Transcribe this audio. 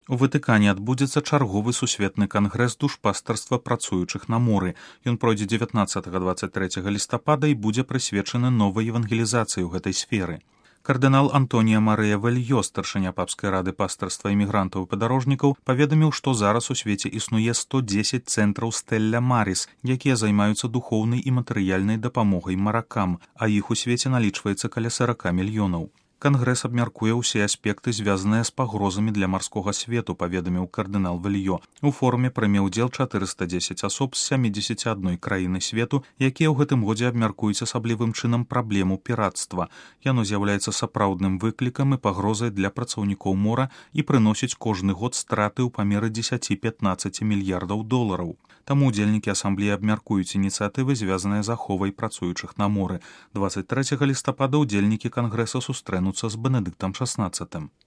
У Ватыкане адбудзецца чарговы сусветны кангрэс душпастарства працуючых на моры. Ён пройдзе 19-23 лістапада і будзе прысвечаны новай евангелізацыі ў гэтай сферы. Кардынал Антонія Марыя Вельё, старшыня папскай рады пастырства імігрантаў і падарожнікаў, паведаміў, што зараз у свеце існуе 110 цэнтраў Стэлля Маріс, якія займаюцца духоўнай і матэрыяльнай дапамогай маракам, а іх у свеце налічваецца каля 40 мільёнаў. Кангрэс абмяркуе ўсе аспекты, звязаныя з пагрозамі для марскога свету, паведаміў кардынал Вельё. У форуме прыме ўдзел 410 асоб з 71 краіны свету, якія ў гэтым годзе абмяркуюць асаблівым чынам праблему піратства. Яно з'яўляецца сапраўдным выклікам і пагрозай для працаўнікоў мора і прыносіць кожны год страты ў памеры 10-15 мільярдаў долараў. Таму удзельнікі асамблеі абмяркуюць ініцыятывы, звязаныя з аховай працуючых на моры. 23 лістапада удзельнікі кангрэса сустрэнуцца з Бенедыктам XVI.